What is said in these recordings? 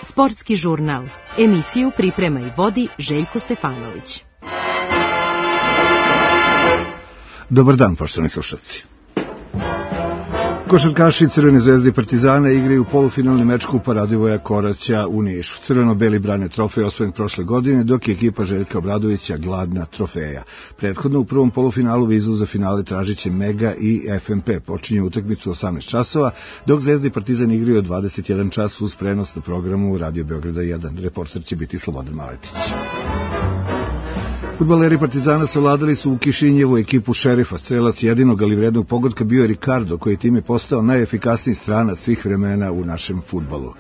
Sportski žurnal. Emisiju priprema i vodi Željko Stefanović. Dobar dan, poštovani slušalci. Košarkaši Crvene zvezde i Partizana igraju polufinalni meč Kupa Radivoja Koraća u Nišu. Crveno-beli brane trofej osvojen prošle godine, dok je ekipa Željka Obradovića gladna trofeja. Prethodno u prvom polufinalu vizu za finale tražiće Mega i FNP. Počinju utakmicu 18 časova, dok Zvezda i Partizan igraju od 21 čas uz prenos na programu Radio Beograda 1. Reporter će biti Slobodan Maletić. Fudbaleri Partizana savladali su u Kišinjevu ekipu Šerifa. Strelac jedinog, ali vrednog pogotka bio je Ricardo, koji time postao najefikasniji stranac svih vremena u našem fudbalu.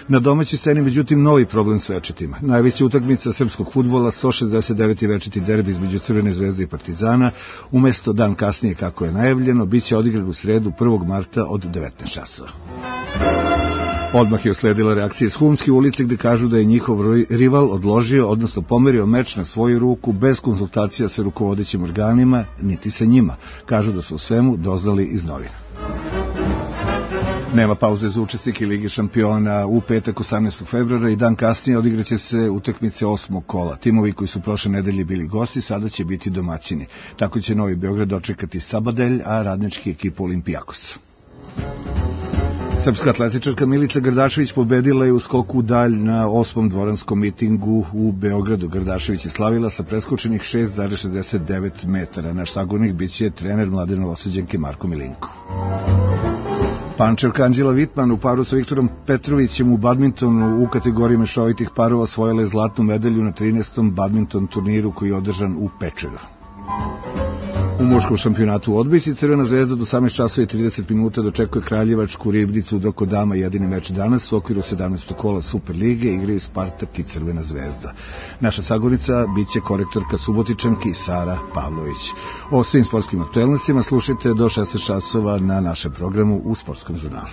Na domaćoj sceni, međutim, novi problem s večitima. Najveća utakmica srpskog fudbala, 169. večiti derbi između Crvene zvezde i Partizana, umesto dan kasnije kako je najavljeno, bit će odigran u sredu 1. marta od 19 časova. Odmah je usledila reakcija iz Humske ulice, gde kažu da je njihov rival odložio, odnosno pomerio meč na svoju ruku bez konsultacija sa rukovodećim organima, niti sa njima. Kažu da su u svemu doznali iz novina. Nema pauze za učesnike Lige šampiona. U petak 18. februara i dan kasnije odigraće se utakmice 8. kola. Timovi koji su prošle nedelje bili gosti sada će biti domaćini. Tako će Novi Beograd dočekati Sabadelj, a radnički ekipu Olimpijakos. Srpska atletičarka Milica Gardašević pobedila je u skoku u dalj na 8. dvoranskom mitingu u Beogradu. Gardašević je slavila sa preskočenih 6,69 metara. Naš sagovornik biće trener mlade Novosađanke Marko Milinko. Pančevka Anđela Vitman u paru sa Viktorom Petrovićem u badmintonu u kategoriji mešovitih parova osvojila je zlatnu medalju na 13. badminton turniru koji je održan u Pečeru. U muškom šampionatu u odbojci Crvena zvezda do 18 časova i 30 minuta dočekuje Kraljevačku Ribnicu, dok kod dama jedini meč danas u okviru 17. kola Superlige igraju Spartak i Crvena zvezda. Naša sagovornica biće korektorka Subotičanki Sara Pavlović. O svim sportskim aktuelnostima slušajte do 16 časova na našem programu u Sportskom žurnalu.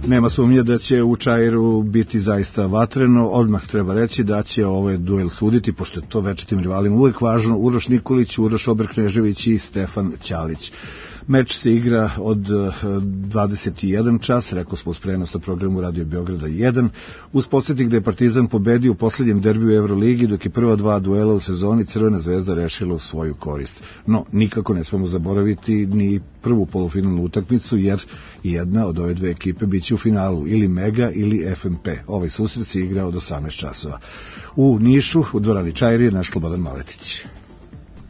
Nema sumnje da će u Čairu biti zaista vatreno. Odmah treba reći da će ovaj duel suditi, pošto je to večitim rivalima uvek važno, Uroš Nikolić, Uroš Obrknežević i Stefan Ćalić. Meč se igra od 21 čas, rekao smo uz prenos na programu Radio Beograda 1, uz podsjetnik da je Partizan pobedio u poslednjem derbiju Euroligi, dok je prva dva duela u sezoni Crvena zvezda rešila u svoju korist. No, nikako ne smemo zaboraviti ni prvu polufinalnu utakmicu, jer jedna od ove dve ekipe biće u finalu, ili Mega ili FNP. Ovaj susret se igra od 18 časova. U Nišu, u dvorani Čairi, naš Slobodan Maletić.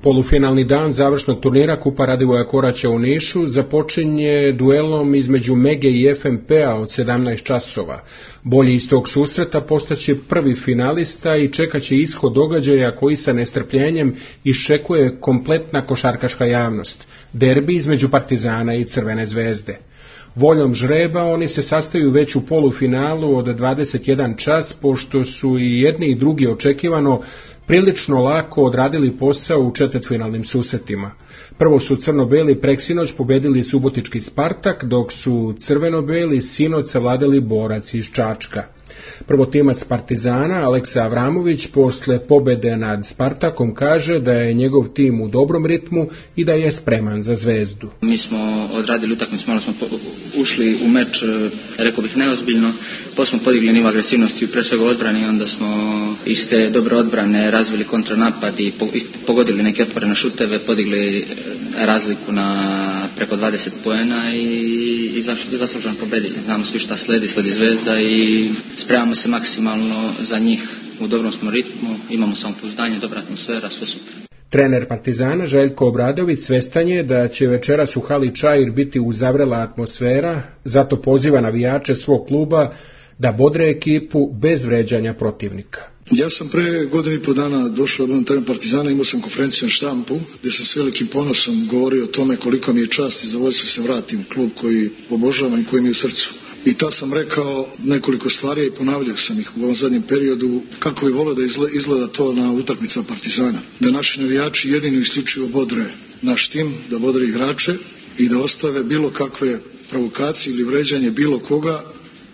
Polufinalni dan završnog turnira Kupa Radivoja Koraća u Nišu započinje duelom između Mege i FNP-a od 17 časova. Bolji iz tog susreta postaće prvi finalista i čekaće ishod događaja koji sa nestrpljenjem iščekuje kompletna košarkaška javnost. Derbi između Partizana i Crvene zvezde. Voljom žreba oni se sastaju već u polufinalu od 21 čas, pošto su i jedni i drugi očekivano prilično lako odradili posao u četvrtfinalnim susretima. Prvo su crno-beli preksinoć pobedili subotički Spartak, dok su crveno-beli sinoć savladali Borac iz Čačka. Prvotimac Partizana, Aleksa Avramović, posle pobede nad Spartakom kaže da je njegov tim u dobrom ritmu i da je spreman za Zvezdu. Mi smo odradili utakmicu, malo smo ušli u meč, rekao bih neozbiljno, pa smo podigli nivo agresivnosti pre svega odbrane, onda smo iz te dobre odbrane razvili kontranapad i pogodili neke otvorene šuteve, podigli razliku na preko 20 poena i zasluženo pobedili. Znamo svi šta sledi Zvezda i spremamo se maksimalno za njih, u dobrom smo ritmu, imamo samopouzdanje, dobra atmosfera, sve super. Trener Partizana Željko Obradović svestan je da će večeras u hali Čair biti uzavrela atmosfera, zato poziva navijače svog kluba da bodre ekipu bez vređanja protivnika. Ja sam pre godinu i po dana došao na teren Partizana, imao sam konferenciju na štampu gdje sam s velikim ponosom govorio o tome koliko mi je čast i zadovoljstvo se vratim u klub koji obožavam i koji mi je u srcu. I ta sam rekao nekoliko stvari i ponavljao sam ih u ovom zadnjem periodu kako bi volio da izgleda to na utakmicama Partizana. Da naši navijači jedino isključivo bodre naš tim, da bodre igrače i da ostave bilo kakve provokacije ili vređanje bilo koga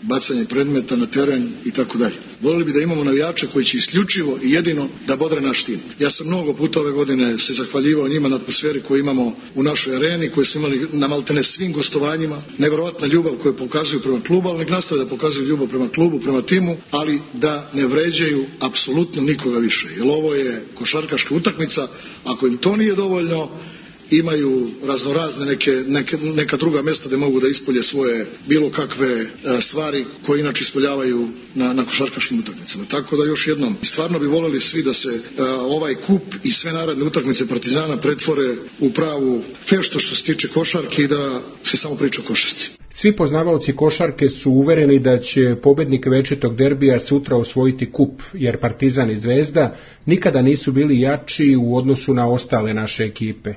bacanje predmeta na teren i tako dalje. Volili bi da imamo navijače koji će isključivo i jedino da bodre naš tim. Ja sam mnogo puta ove godine se zahvaljivao njima na atmosferi koju imamo u našoj areni, koju smo imali na maltene svim gostovanjima, nevjerovatna ljubav koju pokazuju prema klubu, ali nek nastave da pokazuju ljubav prema klubu, prema timu, ali da ne vređaju apsolutno nikoga više. Jer ovo je košarkaška utakmica, ako im to nije dovoljno, imaju raznorazne neka druga mjesta gdje mogu da ispolje svoje bilo kakve stvari koje inače ispoljavaju na košarkaškim utakmicama. Tako da još jednom, stvarno bi voljeli svi da se ovaj kup i sve naredne utakmice Partizana pretvore u pravu feštu što se tiče košarke i da se samo priča o košarci. Svi poznavaoci košarke su uvereni da će pobednik večitog derbija sutra osvojiti kup, jer Partizan i Zvezda nikada nisu bili jači u odnosu na ostale naše ekipe.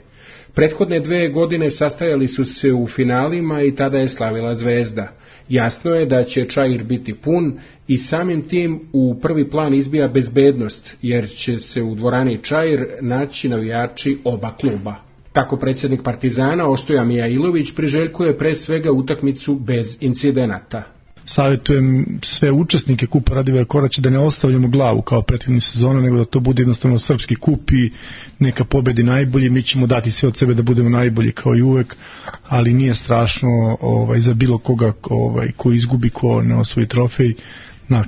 Prethodne 2 godine sastajali su se u finalima i tada je slavila Zvezda. Jasno je da će Čair biti pun i samim tim u prvi plan izbija bezbednost, jer će se u dvorani Čair naći navijači oba kluba. Tako predsjednik Partizana Ostoja Mijailović priželjkuje pre svega utakmicu bez incidenata. Savjetujem sve učesnike kupa Radivoja Koraća da ne ostavljamo glavu kao prethodne sezone, nego da to bude jednostavno srpski kup i neka pobedi najbolji. Mi ćemo dati sve od sebe da budemo najbolji kao i uvek, ali nije strašno za bilo koga ko izgubi, ko ne osvoji trofej.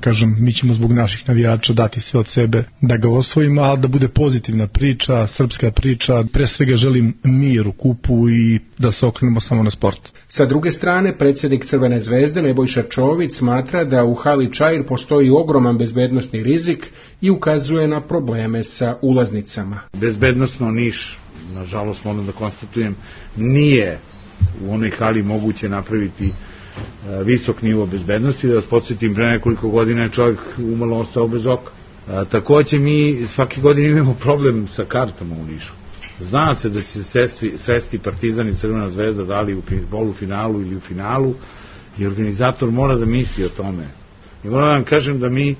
Kažem, mi ćemo zbog naših navijača dati sve od sebe da ga osvojimo, ali da bude pozitivna priča, srpska priča. Pre svega želim mir u kupu i da se okrenemo samo na sport. Sa druge strane, predsjednik Crvene Zvezde Nebojša Čović smatra da u hali Čair postoji ogroman bezbednosni rizik i ukazuje na probleme sa ulaznicama. Bezbednosno Niš, nažalost moram da konstatujem, nije u onoj hali moguće napraviti visok nivo bezbednosti. Da vas podsjetim, pre nekoliko godina je čovjek umalo ostao bez oka. Takođe mi svake godine imamo problem sa kartama u Nišu. Zna se da će se sresti Partizan i Crvena Zvezda da li u polufinalu ili u finalu i organizator mora da misli o tome. I moram da vam kažem da mi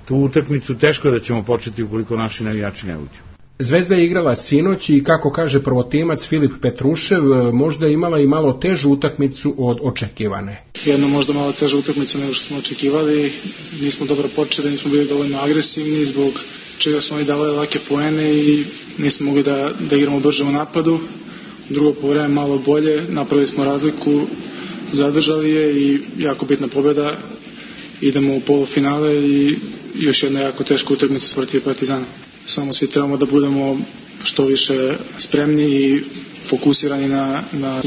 tu utakmicu teško da ćemo početi ukoliko naši navijači ne uđu. Zvezda je igrala sinoć i, kako kaže prvotimac Filip Petrušev, možda je imala i malo težu utakmicu od očekivane. Jedna možda malo teža utakmica nego što smo očekivali. Nismo dobro počeli, nismo bili dovoljno agresivni, zbog čega smo i davali lake poene i nismo mogli da igramo brže u napadu. Drugo povreme malo bolje, napravili smo razliku, zadržali je i jako bitna pobjeda. Idemo u polufinale i još jedna jako teška utakmica protiv Partizana. Samo svi trebamo da budemo što više spremni i fokusirani na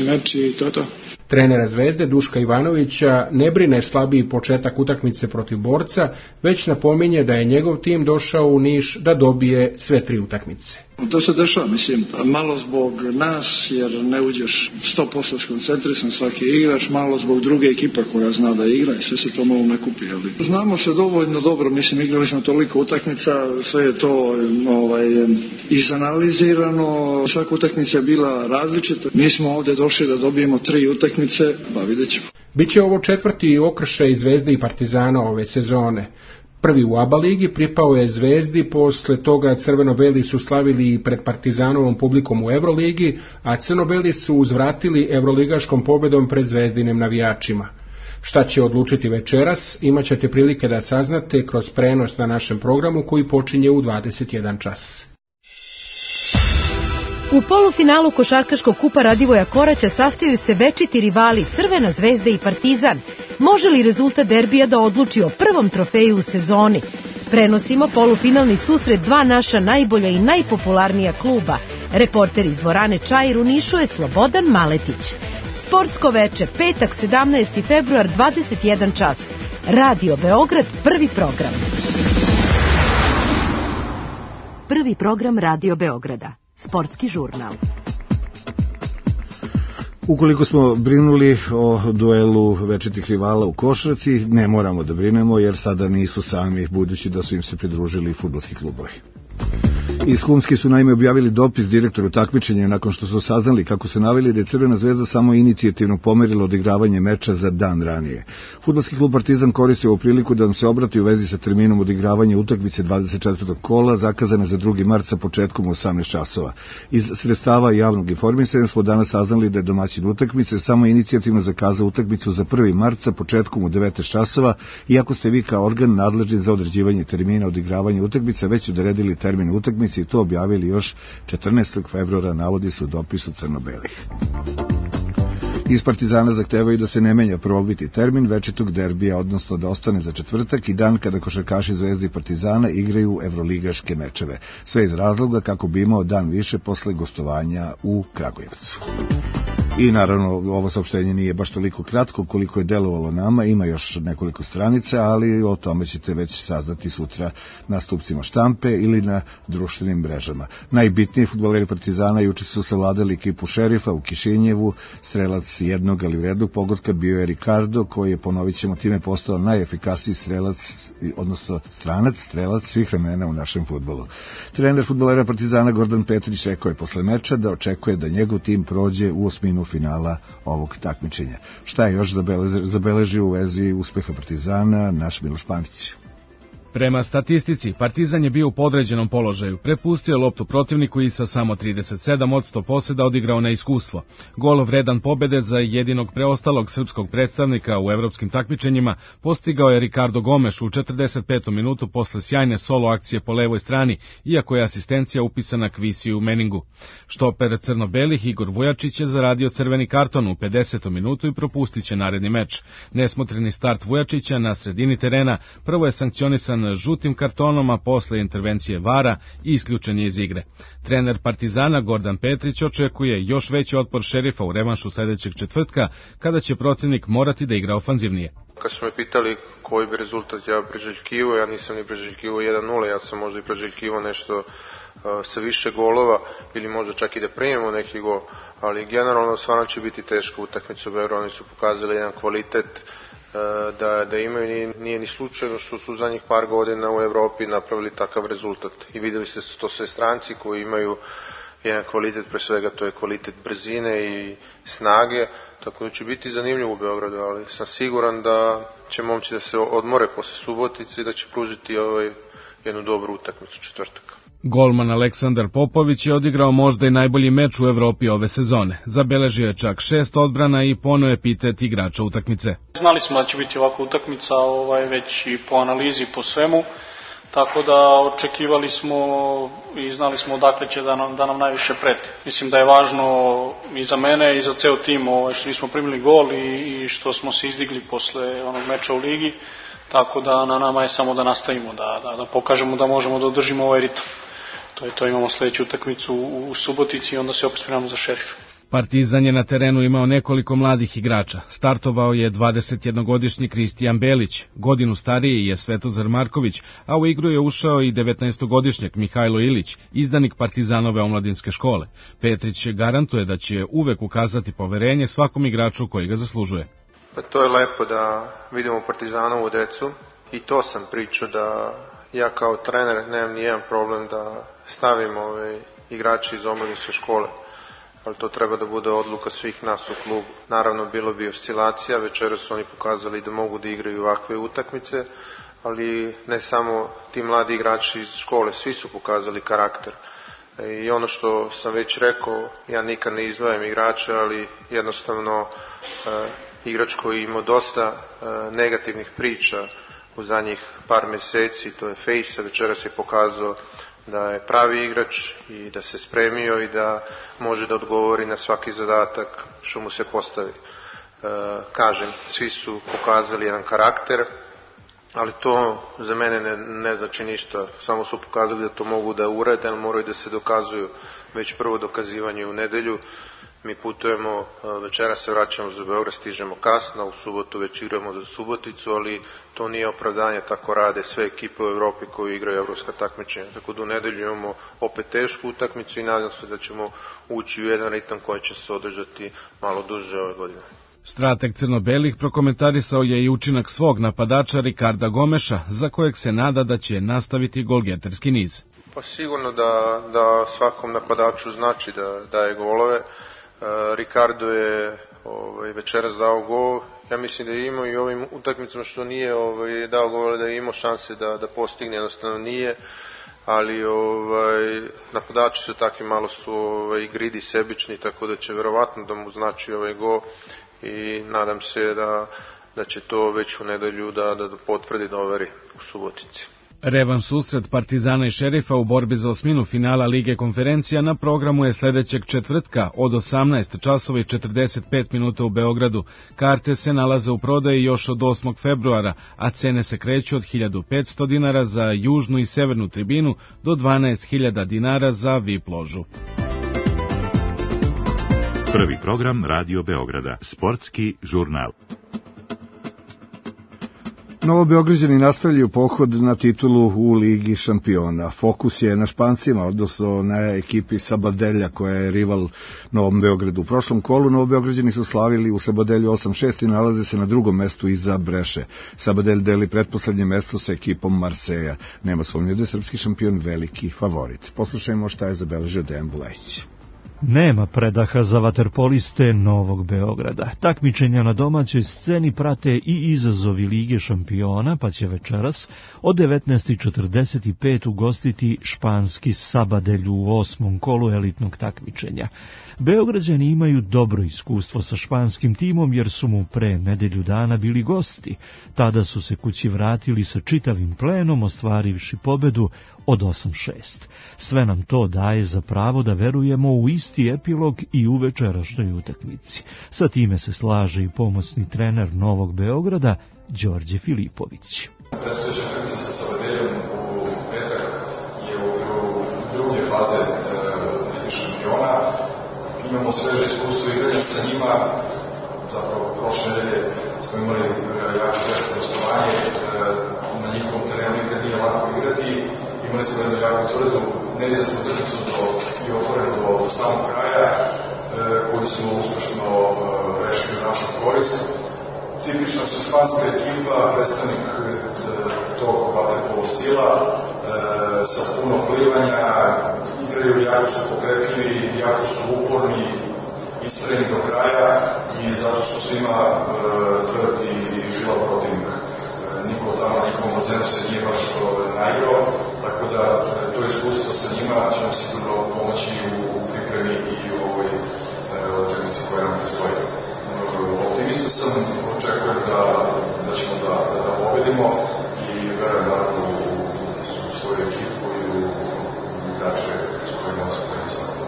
meč i to je to. Trenera Zvezde Duška Ivanovića ne brine slabiji početak utakmice protiv Borca, već napominje da je njegov tim došao u Niš da dobije sve 3 utakmice. To se dešava, mislim, malo zbog nas, jer ne uđeš 100% skoncentrisan svaki igrač, malo zbog druge ekipa koja zna da igra i sve se to malo ne kupi. Znamo se dovoljno dobro, mislim, igrali smo toliko utakmica, sve je to izanalizirano, svaka utakmica je bila različita. Mi smo ovdje došli da dobijemo 3 utakmice, pa vidjet ćemo. Biće ovo 4. okršaj Zvezde i Partizana ove sezone. Prvi u ABA ligi pripao je Zvezdi, posle toga crveno-beli su slavili i pred Partizanovom publikom u Euroligi, a crno-beli su uzvratili evroligaškom pobedom pred Zvezdinim navijačima. Šta će odlučiti večeras, imat ćete prilike da saznate kroz prenos na našem programu koji počinje u 21 čas. U polufinalu košarkaškog kupa Radivoja Koraća sastaju se večiti rivali Crvena Zvezda i Partizan. Može li rezultat derbija da odluči o prvom trofeju u sezoni? Prenosimo polufinalni susret 2 naša najbolja i najpopularnija kluba. Reporter iz dvorane Čair u Nišu je Slobodan Maletić. Sportsko veče, petak 17. februar, 21 čas. Radio Beograd, prvi program. Prvi program Radio Beograda. Sportski žurnal. Ukoliko smo brinuli o duelu večitih rivala u košarci, ne moramo da brinemo jer sada nisu sami, budući da su im se pridružili fudbalski klubovi. Iz Humski su naime objavili dopis direktoru takmičenja nakon što su saznali kako su naveli da je Crvena zvezda samo inicijativno pomerila odigravanje meča za dan ranije. Fudbalski klub Partizan koristio ovu priliku da nam se obrati u vezi sa terminom odigravanja utakmice 24. kola zakazane za 2. mart sa početkom u 18 časova. Iz sredstava javnog informisanja smo danas saznali da je domaćin utakmice samo inicijativno zakazao utakmicu za 1. mart sa početkom u 19 časova, iako ste vi kao organ nadležni za određivanje termina odigravanja utakmice već odredili termin utakmice i to objavili još 14. februara, navodi se u dopisu crno-belih. Iz Partizana zahtevaju da se ne menja prvobitni termin večitog derbija, odnosno da ostane za četvrtak i dan kada košarkaši Zvezde i Partizana igraju evroligaške mečeve. Sve iz razloga kako bi imao dan više posle gostovanja u Kragujevcu. I naravno ovo saopštenje nije baš toliko kratko koliko je delovalo nama, ima još nekoliko stranica, ali o tome ćete već saznati sutra na stupcima štampe ili na društvenim mrežama. Najbitniji fudbaleri Partizana juče su savladali ekipu Šerifa u Kišinjevu, strelac jednog ali vrednog pogotka bio je Ricardo, koji je, ponovit ćemo, time postao najefikasniji strelac, odnosno strelac svih vremena u našem fudbalu. Trener fudbalera Partizana Gordan Petrić rekao je posle meča da očekuje da njegov tim prođe u osminu finala ovog takmičenja. Šta je još zabeležio u vezi uspeha Partizana naš Miloš Panić? Prema statistici, Partizan je bio u podređenom položaju, prepustio loptu protivniku i sa samo 37% poseda odigrao na iskustvo. Gol vredan pobede za jedinog preostalog srpskog predstavnika u evropskim takmičenjima postigao je Ricardo Gomes u 45. minutu posle sjajne solo akcije po levoj strani, iako je asistencija upisana Kvisiju Meningu. Štoper crno-belih Igor Vujačić je zaradio crveni karton u 50. minutu i propustit će naredni meč. Nesmotreni start Vujačića na sredini terena prvo je sankcionisan žutim kartonom, a posle intervencije VAR-a i isključen je iz igre. Trener Partizana Gordan Petrić očekuje još veći otpor Šerifa u revanšu sledećeg četvrtka, kada će protivnik morati da igra ofanzivnije. Kad su me pitali koji bi rezultat ja preželjkivao, ja nisam ni preželjkivao 1-0, ja sam možda i preželjkivao nešto sa više golova ili možda čak i da primimo neki gol, ali generalno stvarno će biti teška utakmica u Beogradu. Oni su pokazali jedan kvalitet da imaju, nije ni slučajno što su zadnjih par godina u Evropi napravili takav rezultat i videli se to sve stranci koji imaju jedan kvalitet, pre svega to je kvalitet brzine i snage, tako da će biti zanimljivo u Beogradu, ali sam siguran da će momci da se odmore posle Subotice i da će pružiti jednu dobru utakmicu četvrtak. Golman Aleksandar Popović je odigrao možda i najbolji meč u Evropi ove sezone. Zabeležio je čak 6 odbrana i poneo epitet igrača utakmice. Znali smo da će biti ovakva utakmica, već i po analizi, po svemu, tako da očekivali smo i znali smo odakle će da nam najviše preti. Mislim da je važno i za mene i za ceo tim što nismo primili gol i što smo se izdigli posle onog meča u ligi, tako da na nama je samo da nastavimo, da pokažemo da možemo da održimo ovaj ritam. To imamo sledeću utakmicu u Subotici i onda se opet spremamo za Šerif. Partizan je na terenu imao nekoliko mladih igrača. Startovao je 21-godišnji Kristijan Belić, godinu stariji je Svetozar Marković, a u igru je ušao i 19-godišnjak Mihajlo Ilić, izdanik Partizanove omladinske škole. Petrić garantuje da će uvek ukazati poverenje svakom igraču koji ga zaslužuje. Pa to je lepo da vidimo Partizanovu decu i to sam pričao da ja kao trener nemam nijedan problem da stavim igrače iz omladinske škole, ali to treba da bude odluka svih nas u klubu. Naravno, bilo bi oscilacija, večeras su oni pokazali da mogu da igraju ovakve utakmice, ali ne samo ti mladi igrači iz škole, svi su pokazali karakter. I ono što sam već rekao, ja nikad ne izdvajam igrače, ali jednostavno igrač koji ima dosta negativnih priča u zadnjih par meseci, to je Fejsa, večeras je pokazao da je pravi igrač i da se spremio i da može da odgovori na svaki zadatak što mu se postavi. Kažem, svi su pokazali jedan karakter, ali to za mene ne znači ništa, samo su pokazali da to mogu da urade, ali moraju da se dokazuju. Već prvo dokazivanje u nedelju, mi putujemo, večera se vraćamo za Beograd, stižemo kasno, u subotu već igramo za Suboticu, ali to nije opravdanje, tako rade sve ekipe u Evropi koji igraju evropska takmičenja. Tako da u nedelju imamo opet tešku utakmicu i nadam se da ćemo ući u jedan ritam koji će se održati malo duže ove godine. Strateg crno-belih prokomentarisao je i učinak svog napadača Ricarda Gomeša, za kojeg se nada da će nastaviti golgeterski niz. Pa sigurno da svakom napadaču znači da daje golove. Ricardo je večeras dao gol. Ja mislim da je imao i ovim utakmicama što nije dao gol, da je imao šanse da postigne, jednostavno nije. Ali napadači su takvi, malo su gridi, sebični, tako da će verovatno da mu znači ovaj gol i nadam se da će to već u nedelju da potvrdi, da overi u Subotici. Revanš susret Partizana i Šerifa u borbi za osminu finala Lige konferencija na programu je sledećeg četvrtka od 18 časova i 45 minuta u Beogradu. Karte se nalaze u prodaji još od 8. februara, a cene se kreću od 1500 dinara za južnu i severnu tribinu do 12.000 dinara za VIP ložu. Prvi program Radio Beograda, sportski žurnal. Novobeograđani nastavljaju pohod na titulu u Ligi šampiona. Fokus je na Špancima, odnosno na ekipi Sabadelja koja je rival Novom Beogradu. U prošlom kolu Novobeograđani su slavili u Sabadelju 8-6 i nalaze se na drugom mestu iza Breše. Sabadelj deli pretposlednje mesto sa ekipom Marseja. Nema sumnje da je srpski šampion veliki favorit. Poslušajmo šta je zabeležio Dejan Bulajić. Nema predaha za vaterpoliste Novog Beograda. Takmičenja na domaćoj sceni prate i izazovi Lige šampiona, pa će večeras od 19.45 ugostiti španski Sabadelj u 8. kolu elitnog takmičenja. Beograđani imaju dobro iskustvo sa španskim timom jer su mu pre nedelju dana bili gosti. Tada su se kući vratili sa čitavim plenom, ostvarivši pobedu od 8-6. Sve nam to daje za pravo da verujemo u isti epilog i u večerašnjoj utakmici. Sa time se slaže i pomoćni trener Novog Beograda, Đorđe Filipović. Predstojeća utakmica sa Sabadeljom u petak je u druge faze Lige šampiona. Imamo sveže iskustvo igranja sa njima. Zapravo prošle nedelje smo imali jako teško gostovanje. Na njihovom terenu nikad nije lako igrati. Imali smo jednu jako tvrdu, neizvesnu utakmicu i otvorenu do samog kraja, koju smo uspešno rešili u našu korist. Tipična su španska ekipa, predstavnik tog vaterpolo stila, sa puno plivanja, igraju, jako su pokretljivi, jako su uporni, istrajni do kraja i zato su svima tvrd i žilav protivnik. Niko tamo, nikom od zemlju se nije baš naigrao, tako da to iskustvo sa njima će nam sigurno pomoći u pripremi i u ovoj utakmici koja nam predstoji. Optimista sam, očekujem da ćemo da pobedimo i verujem naravno u svoju ekipu i u igrače s kojima se predstavljamo.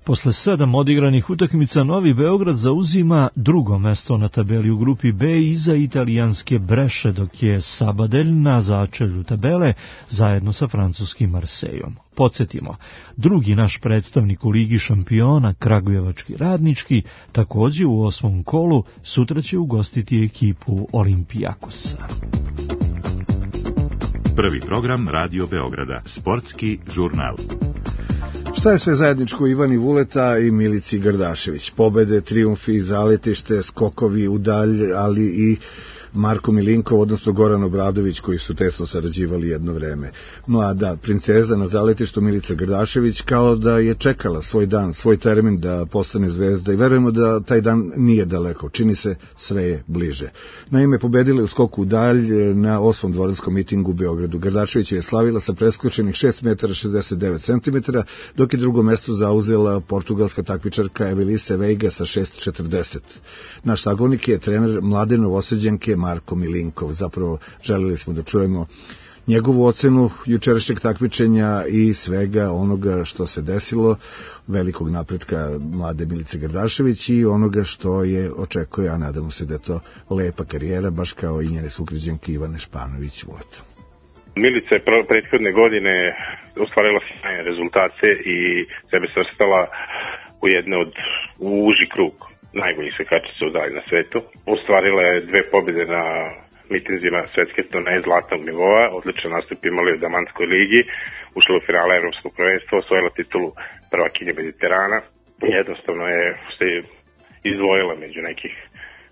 Posle 7 odigranih utakmica Novi Beograd zauzima drugo mesto na tabeli u grupi B iza italijanske Breše, dok je Sabadelj na začelju tabele zajedno sa francuskim Marsejom. Podsjetimo, drugi naš predstavnik u Ligi šampiona, kragujevački Radnički, takođe u 8. kolu sutra će ugostiti ekipu Olimpijakosa. Prvi program Radio Beograda, sportski žurnal. Šta je sve zajedničko Ivani Vuleta i Milici Gardašević? Pobede, trijumfi, zaletište, skokovi u dalj, ali i Marko Milinkov, odnosno Goran Obradović, koji su tesno sarađivali jedno vreme. Mlada princeza na zaletištu Milica Gardašević kao da je čekala svoj dan, svoj termin da postane zvezda i verujemo da taj dan nije daleko, čini se sve je bliže. Naime, pobedila u skoku u dalj na 8. dvoranskom mitingu u Beogradu. Gardašević je slavila sa preskočenih 6 metara 69 cm, dok je drugo mesto zauzela portugalska takmičarka Evelise Veiga sa 6,40. Naš sagovornik je trener mlade Novosađanke Marko Milinkov. Zapravo želeli smo da čujemo njegovu ocenu jučerašnjeg takmičenja i svega onoga što se desilo, velikog napretka mlade Milice Gardašević i onoga što je očekuje, a nadamo se da je to lepa karijera, baš kao i njene sugrađanke Ivane Španović-Vuleta. Milica je prethodne godine ostvarila sjajne rezultate i sebe svrstala u jedne od uži krug najboljih skakačica u dalj na svetu. Ostvarila je 2 pobjede na mitinzima svetske turneje zlatnog nivoa, odličan nastup imali u Damanskoj ligi, ušla u finale evropskog prvenstva, osvojila titulu prvakinje Mediterana. Jednostavno je izdvojila među nekih,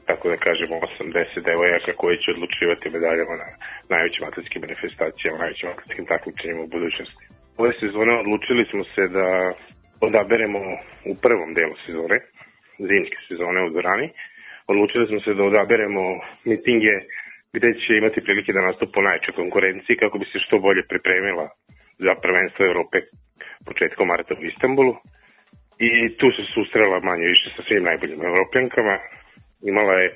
tako da kažemo, 80 devojaka koji će odlučivati medaljama na najvećim atletskim manifestacijama, najvećim atletskim takmičenjima u budućnosti. Ove sezone odlučili smo se da odaberemo u prvom delu sezone, zimske sezone u dvorani, odlučili smo se da odaberemo mitinge gde će imati prilike da nastupu najvećoj konkurenciji kako bi se što bolje pripremila za prvenstvo Evrope početkom marta u Istanbulu. I tu se susrela manje više sa svim najboljim evropljankama. Imala je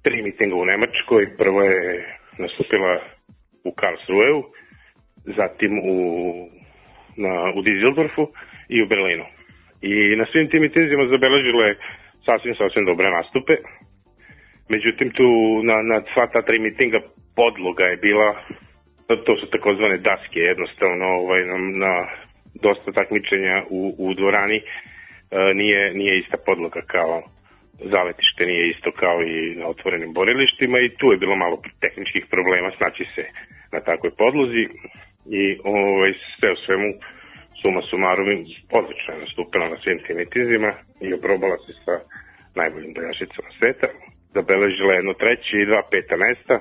3 mitinga u Nemačkoj. Prvo je nastupila u Karlsruheu, zatim u Düsseldorfu i u Berlinu. I na svim tim mitinzima zabeležila je sasvim dobre nastupe. Međutim, tu na sva ta 3 mitinga podloga je bila, to su takozvane daske, jednostavno na dosta takmičenja u dvorani nije ista podloga kao zaletište, nije isto kao i na otvorenim borilištima i tu je bilo malo tehničkih problema snaći se na takvoj podlozi i sve u svemu suma sumarum odlično je nastupila na svim tim mitinzima i oprobala se sa najboljim boljašicama sveta. Zabeležila jedno 3. i 2 5. mesta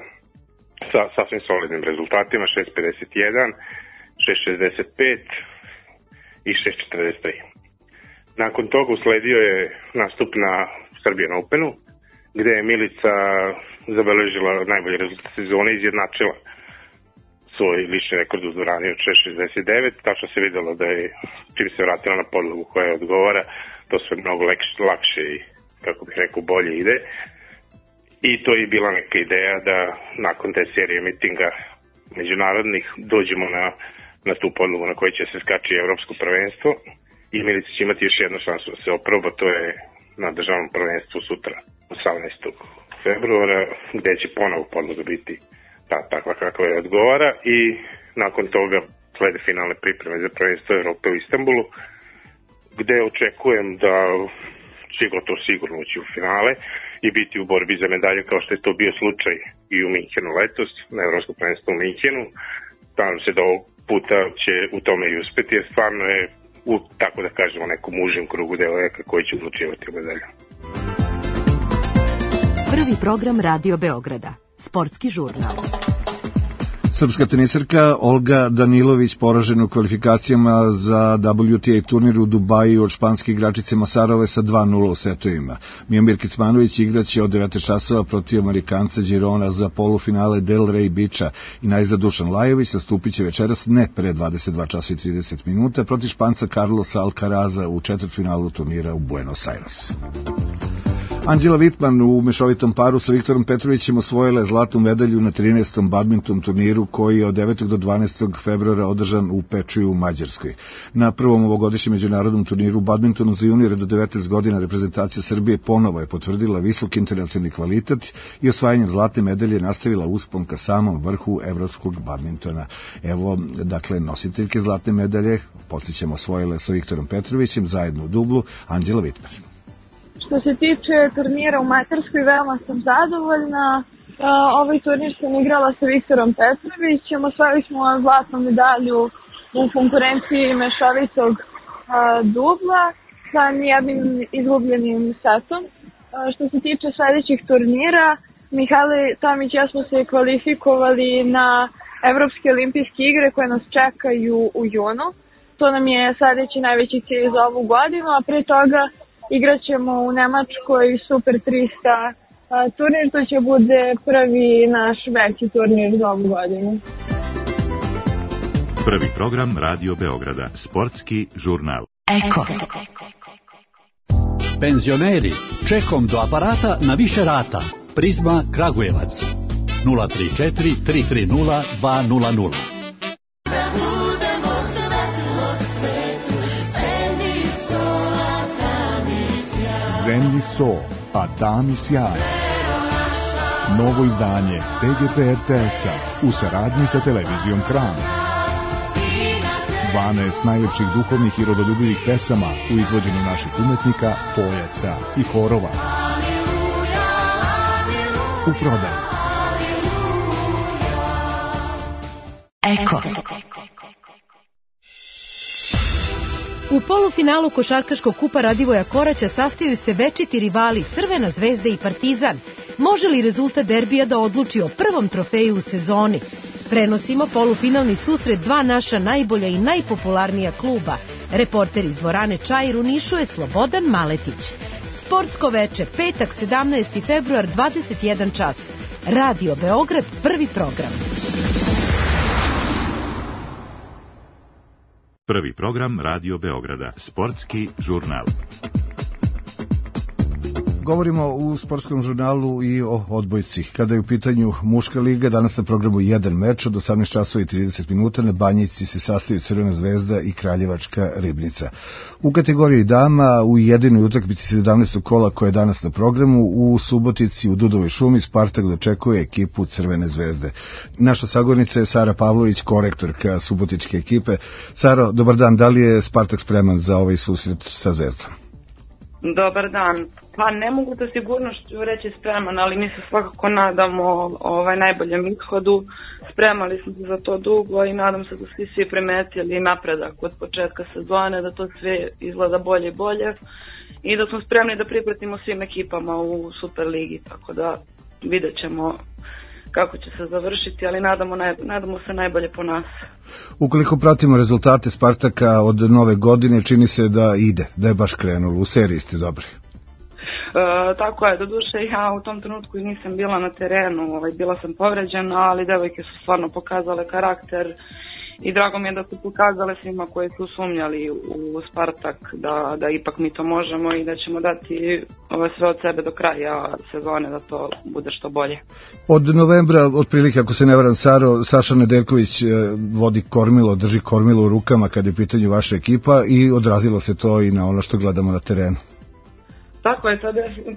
sa sasvim solidnim rezultatima 6.51, 6.65 i 6.43. Nakon toga usledio je nastup na Serbian Openu, gde je Milica zabeležila najbolji rezultat sezone i izjednačila svoj lični rekord u dvorani od 6.69, tačno se videlo da je, čim se vratila na podlogu koja odgovara, to sve mnogo lakše i, kako bih rekao, bolje ide. I to je bila neka ideja da nakon te serije mitinga međunarodnih dođemo na tu podlogu na kojoj će se skači evropsko prvenstvo i Milica će imati još jednu šansu da se oproba, to je na državnom prvenstvu sutra 18. februara gde će ponovo podloga biti takva kakva je odgovara i nakon toga slede finalne pripreme za prvenstvo Evrope u Istanbulu gde očekujem da će gotovo sigurno ući u finale i biti u borbi za medalje kao što je to bio slučaj i u Minhenu letos, na Evropskom prvenstvu u Minhenu. Nadam se da ovog puta će u tome i uspeti, jer stvarno je u, tako da kažemo, nekom užem krugu devojaka koji će odlučivati o medalju. Prvi program Radio Beograda, sportski žurnal. Srpska tenisarka Olga Danilović poražena u kvalifikacijama za WTA turnir u Dubaju od španske igračice Masarove sa 2-0 u setovima. Mijomir Kecmanović igraće od 19 časova protiv Amerikanca Girona za polufinale Del Rey Beacha i najzad Dušan Lajović nastupit će večeras ne pre 22 časa i 30 minuta protiv Španca Carlosa Alcaraza u četvrtfinalu turnira u Buenos Aires. Anđela Vitman u mešovitom paru sa Viktorom Petrovićem osvojila je zlatnu medalju na 13. badminton turniru koji je od 9. do 12. februara održan u Pečuju u Mađarskoj. Na prvom ovogodišnjem međunarodnom turniru u badmintonu za juniore do 19 godina reprezentacija Srbije ponovo je potvrdila visok internacionalni kvalitet i osvajanjem zlatne medalje nastavila uspon ka samom vrhu evropskog badmintona. Evo, dakle, nositeljke zlatne medalje, podsjećamo, osvojile sa Viktorom Petrovićem zajedno u dublu, Anđela Vitman. Što se tiče turnira u Mađarskoj, veoma sam zadovoljna. Ovaj turnir sam igrala sa Viktorom Petrovićem. Osvojili smo zlatnu medalju u konkurenciji mešovitog dubla sa nijednim izgubljenim setom. Što se tiče sledećih turnira, Mihajlo Tomić i ja smo se kvalifikovali na Evropske olimpijske igre koje nas čekaju u junu. To nam je sledeći najveći cilj za ovu godinu, a pre toga igraćemo u Nemačkoj Super 300 turnir, to će bude prvi naš veći turnir za ovu godinu. Prvi program Radio Beograda, sportski žurnal. Eko. Penzioneri, čekom do aparata na više rata. Prizma Kragujevac. 034 330 200. Zemlji so, a tami sjaj. Novo izdanje TGP RTS-a u saradnji sa televizijom Kran. 12 najljepših duhovnih i rodoljubivih pesama u izvođenju naših umetnika, pojaca i horova. U prodaju. Eko. U polufinalu košarkaškog kupa Radivoja Koraća sastaju se večiti rivali Crvena zvezda i Partizan. Može li rezultat derbija da odluči o prvom trofeju u sezoni? Prenosimo polufinalni susret dva naša najbolja i najpopularnija kluba. Reporter iz dvorane Čair u Nišu je Slobodan Maletić. Sportsko veče, petak 17. februar, 21 čas. Radio Beograd, prvi program. Prvi program Radio Beograda, sportski žurnal. Govorimo u sportskom žurnalu i o odbojci. Kada je u pitanju muška liga, danas na programu jedan meč od 18 časova i 30 minuta. Na Banjici se sastaju Crvena zvezda i Kraljevačka Ribnica. U kategoriji dama, u jedinoj utakmici 17. kola koja je danas na programu, u Subotici u Dudovoj šumi Spartak dočekuje ekipu Crvene zvezde. Naša sagornica je Sara Pavlović, korektorka subotičke ekipe. Saro, dobar dan, da li je Spartak spreman za ovaj susret sa Zvezdom? Dobar dan. Pa ne mogu da sigurnošću reći spreman, ali mi se svakako nadamo najboljem ishodu. Spremali smo se za to dugo i nadam se da svi primetili napredak od početka sezone, da to sve izgleda bolje i bolje i da smo spremni da pripratimo svim ekipama u Superligi, tako da vidjet ćemo kako će se završiti, ali nadamo se najbolje po nas. Ukoliko pratimo rezultate Spartaka od nove godine, čini se da ide, da je baš krenulo. U seriji ste dobri. Tako je, doduše ja u tom trenutku nisam bila na terenu, bila sam povređena, ali devojke su stvarno pokazale karakter i drago mi je da su pokazale svima koji su sumnjali u Spartak da ipak mi to možemo i da ćemo dati sve od sebe do kraja sezone da to bude što bolje. Od novembra, otprilike, ako se ne varam, Saša Nedeljković vodi kormilo, drži kormilo u rukama kada je u pitanju vaša ekipa i odrazilo se to i na ono što gledamo na terenu. Tako je,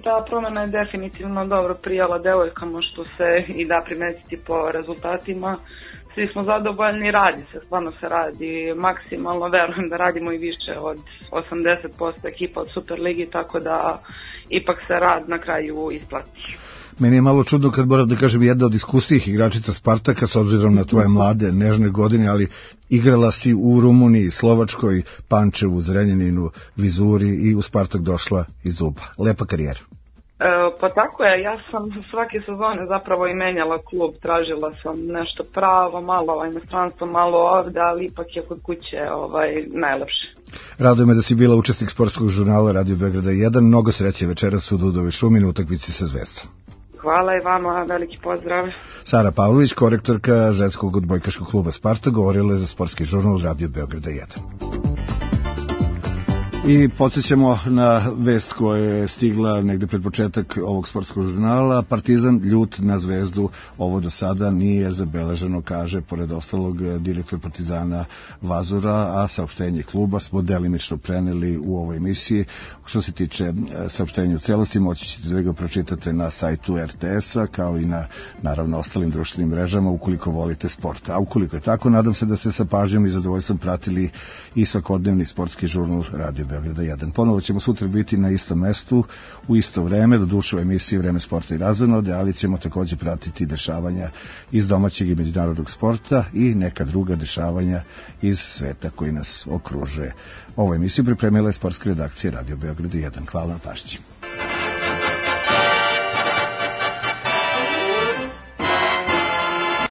ta promjena je definitivno dobro prijala devojkama, što se i da primetiti po rezultatima. Svi smo zadovoljni, stvarno se radi maksimalno, verujem da radimo i više od 80% ekipa od Superligi, tako da ipak se rad na kraju isplati. Meni je malo čudno kad moram da kažem jedna od iskusnijih igračica Spartaka, s obzirom na tvoje mlade, nežne godine, ali igrala si u Rumuniji, Slovačkoj, Pančevu, Zrenjaninu, Vizuri i u Spartak došla iz Uba. Lepa karijera. Pa tako je, ja sam svake sezone zapravo i menjala klub, tražila sam nešto pravo, malo inostranstvo, malo ovde, ali ipak je kod kuće najlepše. Raduje me da si bila učesnik sportskog žurnala Radio Beograda 1, mnogo sreće večeras u Dudovoj šumi na utakmici sa Zvezdom. Hvala i vama, veliki pozdrav. Sara Pavlović, korektorka ženskog odbojkaškog kluba Spartak, govorila je za sportski žurnal Radio Beograda 1. I podsjećamo na vest koja je stigla negde pred početak ovog sportskog žurnala. Partizan ljut na Zvezdu, ovo do sada nije zabeleženo, kaže pored ostalog direktor Partizana Vazura, a saopštenje kluba smo delimično preneli u ovoj emisiji. Što se tiče saopštenja u celosti, moći ćete da ga pročitate na sajtu RTS-a, kao i na, naravno, ostalim društvenim mrežama, ukoliko volite sport. A ukoliko je tako, nadam se da ste sa pažnjom i zadovoljstvom pratili i svakodnevni sportski žurnal Radio Beograda 1. Ponovo ćemo sutra biti na istom mestu, u isto vreme, do duše u emisiji Vreme sporta i razonode, ali ćemo također pratiti dešavanja iz domaćeg i međunarodnog sporta i neka druga dešavanja iz sveta koji nas okružuje. Ovu emisiju pripremila je sportska redakcija Radio Beograda 1. Hvala na pažnji.